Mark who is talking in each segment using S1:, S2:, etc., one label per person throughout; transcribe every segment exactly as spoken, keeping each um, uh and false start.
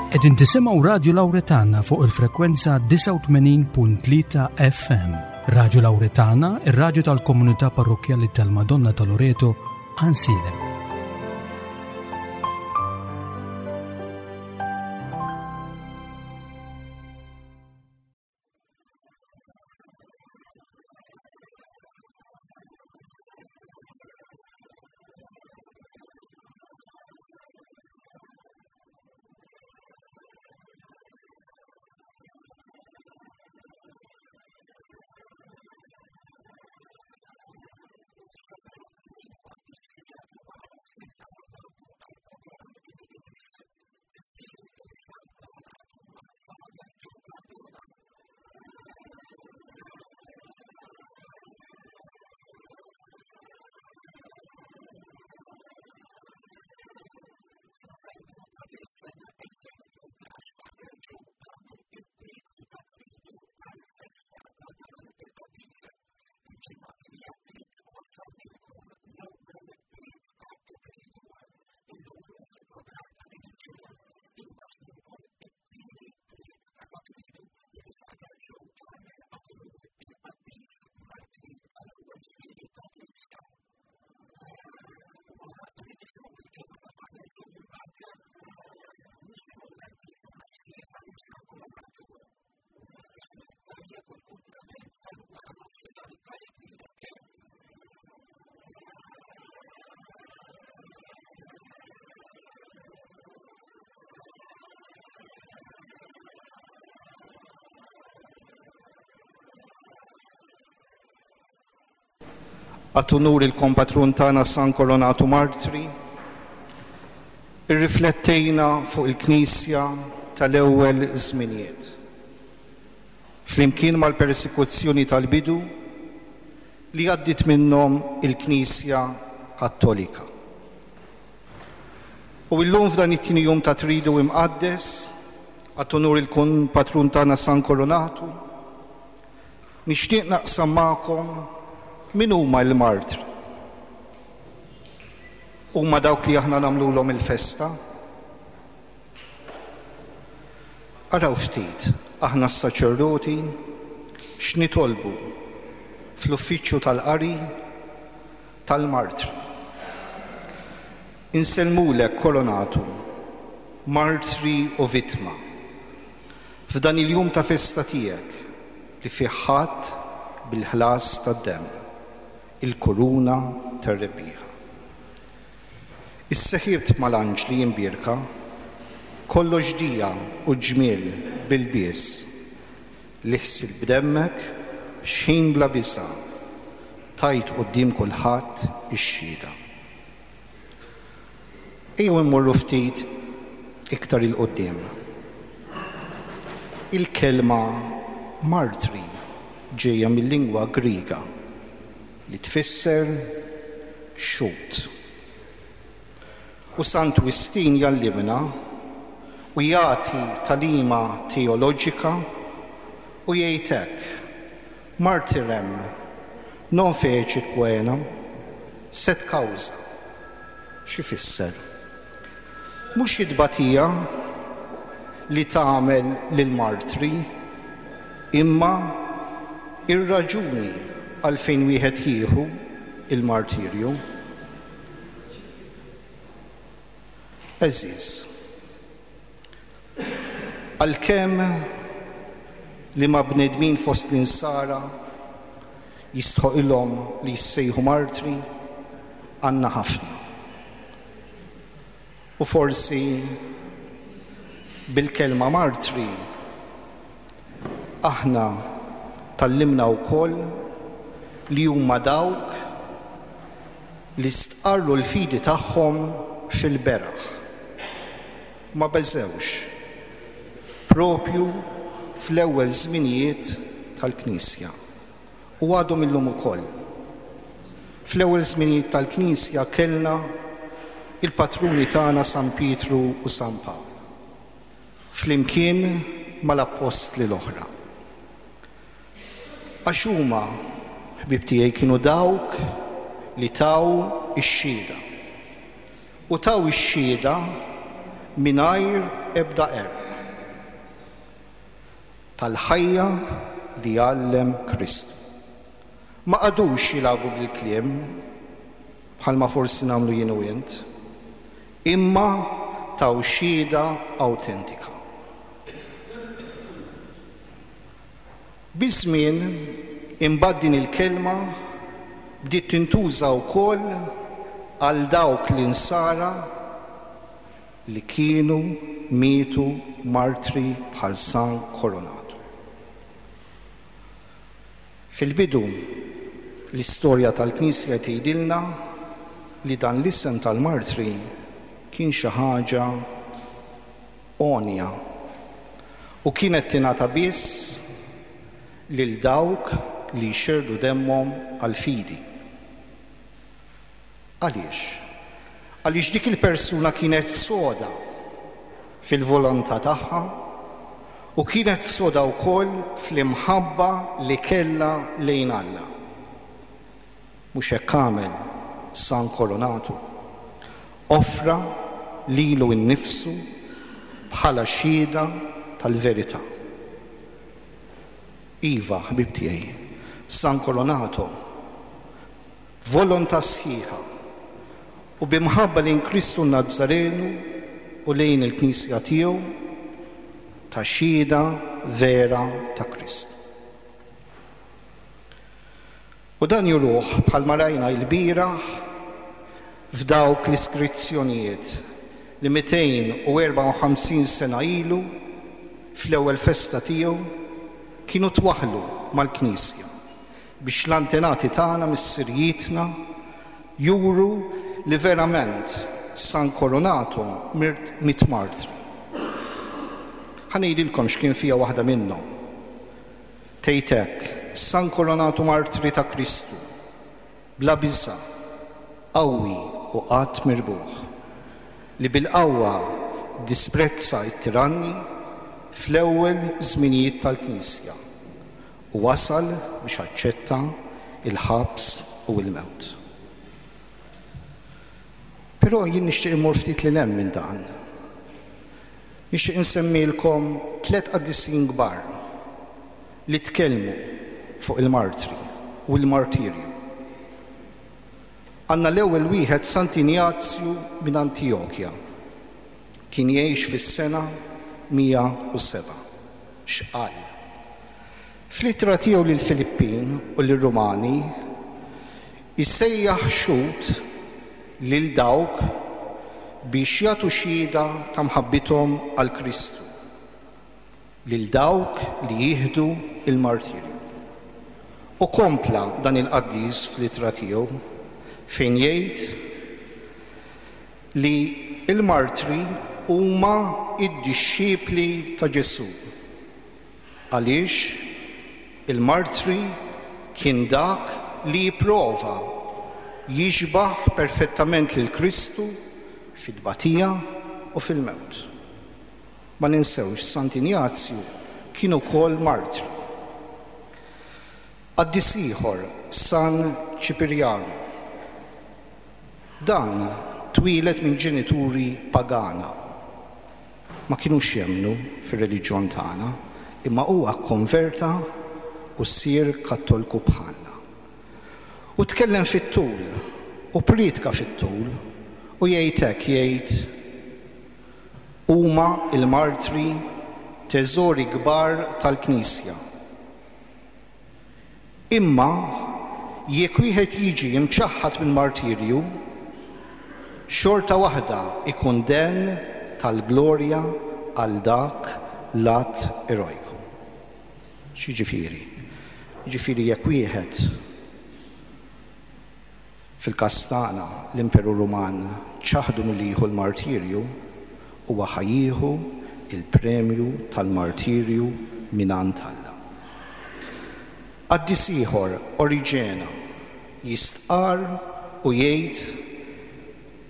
S1: Qegħdin tisimgħu Radju Lawretana fuq il-frekwenza disgħa u tmenin punt tlieta F M. Radju Lawretana, ir-radju tal-komunità parrokkjali tal-Madonna ta' Loreto, Għajnsielem.
S2: Għat unur il-kompatrun tagħna San Kolonatu Martri, irriflettejna fuq il-Knisja tal-ewwel żminijiet. Flimkien mal-persekuzzjoni tal-bidu li għaddit minnhom il-Knisja Kattolika. U illum f'dan it-tieni jum ta' Tridu Imqaddes, għat unur il-kompatrun tagħna San Kolonatu, nixtieq naqsam magħkom min huma l-martri. Huma dawk li aħna nagħmluhom il-festa? Araw ftit, aħna s-saċerdoti x'nitolbu fl-uffiċċju tal-qari tal-martri. Insellmulek Kolonatu, martri u vittma, f'dan il-jum ta' festa tiegħek li fih ħadd bil-ħlas tad-demm, il-kuruna tar-rebbieħa. Isseħibt mal-anġli imbierka, kollox dija u ġmiel bil-bies, li ħsil b'demmek xħin bla bisa, tajt quddiem kulħadd ix-xhieda. Ejjew immorru ftit iktar il-quddiem. Il-kelma martri ġejja mill-lingwa Griega li tfisser xhud. U Sant Wistin jallimna u jagħti talima teoloġika u jgħid hekk: martirem non fecit poenam, sed causa. X'ifisser? Mhux it-tbatija li tagħmel lill-martri, imma ir-raġuni għalfejn wieħed jieħu il-martirju. Għeżież, għalkemm li ma' bnedmin fost l-insara jistħoqilhom li jissejħu martri, għandna ħafna. U forsi bil-kelma martri aħna tallimna wkoll li huma dawk li stqarru l-fidi tagħhom fil-beraħ. Ma beżewx, propju fl-ewwel żminijiet tal-Knisja. U għadhom illum ukoll. Fl-ewwel żminijiet tal-Knisja kellna il-patruni tagħna San Pietru u San Pawl, flimkien mal-appostli l-oħra. Għax huma, ħbieb tiegħi, kienu dawk li taw ix-xhieda. U taw ix-xhieda mingħajr ebda qerq tal-ħajja li għallem Kristu. Ma qagħdux jilagħbu bil-kliem bħalma forsi nagħmlu jien u int, imma taw xhieda awtentika. Biż-żmien imbagħad din il-kelma bdiet tintuża wkoll għal dawk l-insara li kienu mietu martri bħal San Koronato. Fil-bidu l-istorja tal-Knisja tgħidilna li dan l-isem tal-martri kien xi ħaġa għonja u kienet tingħata biss lil dawk li jxerrdu demmhom għall-fidi. Għaliex? Għaliex dik il-persuna kienet soda fil-volontà tagħha u kienet soda wkoll fl-imħabba li kellha lejn Alla. Mhux hekk għamel San Koronato. Offra lilu nnifsu bħala xhieda tal-verità. Iva, ħbib tiegħi, San Koronato, volontà sħiħa u bimħabba lejn Kristu Nazzarenu u lejn il-Knisja tiegħu ta' xhieda vera ta' Kristu. U dan juruh bħalma rajna l-bieraħ f'dawk l-iskrizzjonijiet li mitejn u erbgħa u ħamsin sena ilu fl-ewwel festa tiegħu kienu twaħħlu mal-Knisja biex l-antenati tagħna missirijietna juru li verament San Koronato miet martri. Ħa ngħidilkom x'kien fiha waħda minnhom. Tgħid hekk: San Koronato martri ta' Kristu, bla biża', qawwi u qatt mirbuħ, li bil-qawwa disprezza t-tiranni fl-ewwel żminijiet tal-Knisja u wasal biex aċċetta il-ħabs u l-mewt. Però jien nixtieq immur ftit lil hemm minn dan. Nixtieq insemmilkom tliet qaddisin kbar li tkellmu fuq il-martri u l-martirju. Għandna l-ewwel wieħed Sant'Injazju minn Antijokja. Kien jgħix fis-sena mija u seba'. X'qal? Fl-ittra tiegħu lill-Filippin u lir-Rumani jsejjaħ xhud lil dawk biex jagħtu xhieda ta' mħabbithom għal Kristu, lil dawk li jieħdu il-martirju. U kompla dan il-qaddis fl-ittra tiegħu fejn jgħid li il-martri huma id-dixxipli ta' Ġesù. Għaliex il-martri kien dak li jipprova jixbaħ perfettament lil Kristu fit-tbatija u fil-mewt. Ma ninsewx Sant'Injazju kien ukoll martri. Qaddis ieħor, San Ċipirjanu. Dan twieled minn ġenituri pagana. Ma kinux jemmnu fir-reliġjon tagħna, imma huwa kkonverta u ssir kattoliku bħalna. U tkellem fit-tul, u priedka fit-tul, u jgħid hekk, jgħid huma il-martri teżori kbar tal-Knisja. Imma jekk wieħed jiġi imċaħħad mill-martirju, xorta waħda ikun den tal-glorja għal dak l-att erojku. X'jiġifieri? Jiġifieri jekk wieħed fil-każ tagħna l-Imperu Ruman ċaħdu milli jieħu l-martirju, huwa ħa jieħu il-premju tal-martirju mingħand Alla. Qaddis ieħor, Oriġena, jistqar u jgħid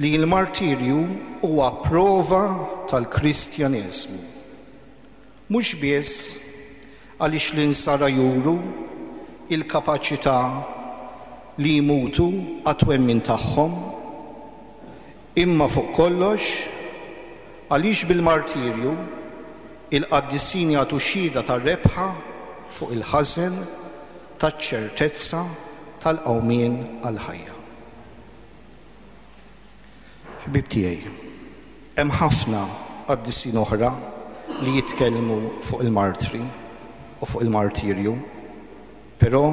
S2: li l-martirju huwa prova tal-Kristjaneżmu. Mhux biss għaliex l-insara juru il-kapaċità li jmutu għat-twemmin tagħhom, imma fuq kollox Għaliex bil-martirju il-qaddisin jagħtu xhieda tar-rebħa fuq il-ħażen, taċ-ċertezza tal-qawmien għall-ħajja. Ħbieb tiegħi, hemm ħafna qaddisin oħra li jitkellmu fuq il-martri u fuq il-martirju, però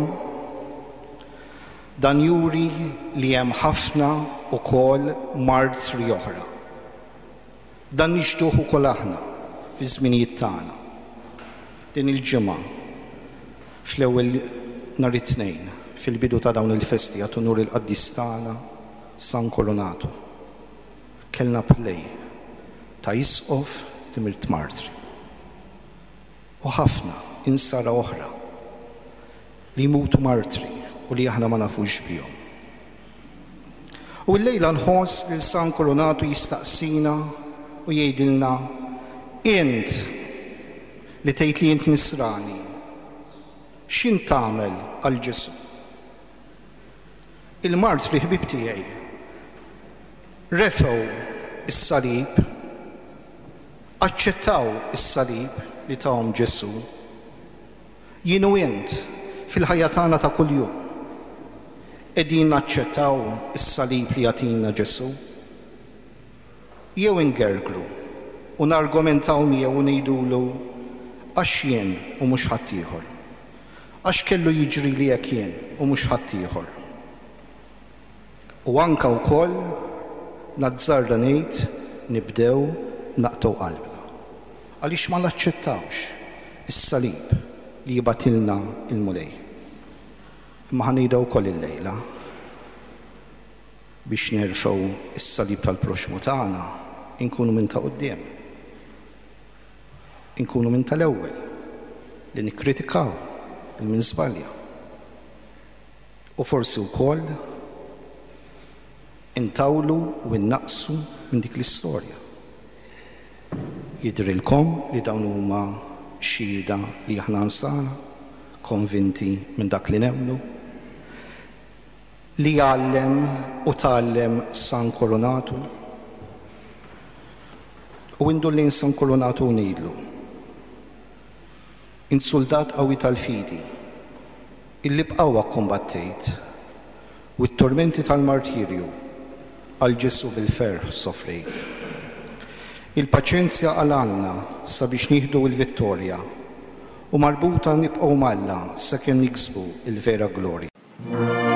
S2: dan juri li hemm ħafna ukoll martri oħra. Dan nixhduh ukoll aħna fi żminijiet tagħna. Din il-ġimgħa fl-ewwel nhar it-Tnejn fil-bidu ta' dawn il-festi għat unur il-qaddis tagħna San Kolonatu. Kellna play ta' isqof li miet martri. U ħafna insara oħra li jmutu martri u li aħna ma nafux bihom. U l-lejla nħoss lil San Kolonatu jistaqsina u jgħidilna: int li tgħid li int nisrani, x'int tagħmel għal Ġesù? Il-martri, ħbieb tiegħi, refgħu is-salib, aċċettaw is-salib li tahom Ġesù. Jien u int fil-ħajja tagħna ta' kuljum qegħdin naċċettaw is-salib li jagħtina Ġesù? Jew ingergru u nargumentaw miegħu u ngħidulu għax jien u mhux ħaddieħor? Għax kellu jiġri li hekk jien u mhux ħaddieħor? U anka wkoll nazzarda ngħid nibdew naqtgħu qalbna. Għaliex ma naċċettawx is-salib li jibgħatilna il-Mulej? Imma ħa ngħidha wkoll illejla: biex nerfgħu is-salib tal-proxmu tagħna, inkunu minn ta' quddiem. Inkunu minn tal-ewwel li nikkritikaw lil min żbalja. U forsi wkoll intawlu u innaqsu minn dik l-istorja. Jidrilkom li dawn huma xhieda li aħna nsara konvinti minn dak li nemmnu? Li għallem u tgħallem San Kolonatu? U indur lejn San Kolonatu u ngħidlu: int soldat qawwi tal-fidi, illi b'qawwa kombattejt u t-tormenti tal-martirju għal Ġesù bil-ferħ sofrejt. Il-paċenzja għal għandna sabiex nieħdu l-vittorja u marbuta nibqgħu m'Alla sakemm niksbu il-vera glorja.